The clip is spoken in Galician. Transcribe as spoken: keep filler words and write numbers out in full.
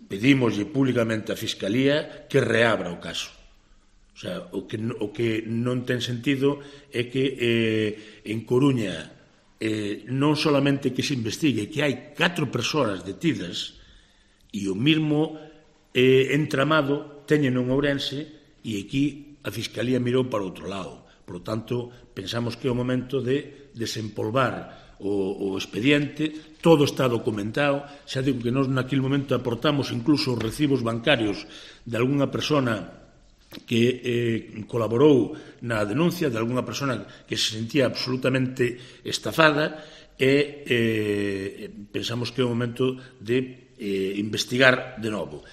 pedímoslle públicamente á Fiscalía que reabra o caso. O sea, o que, o que non ten sentido é que eh, en Coruña eh, non solamente que se investigue, que hai catro persoas detidas e o mismo eh, entramado teñen en Ourense e aquí a Fiscalía mirou para outro lado. Por lo tanto, pensamos que é o momento de desempolvar o, o expediente, todo está documentado, xa digo que nós naquele momento aportamos incluso os recibos bancarios de algunha persona que eh, colaborou na denuncia, de algunha persona que se sentía absolutamente estafada e eh, pensamos que é o momento de eh, investigar de novo.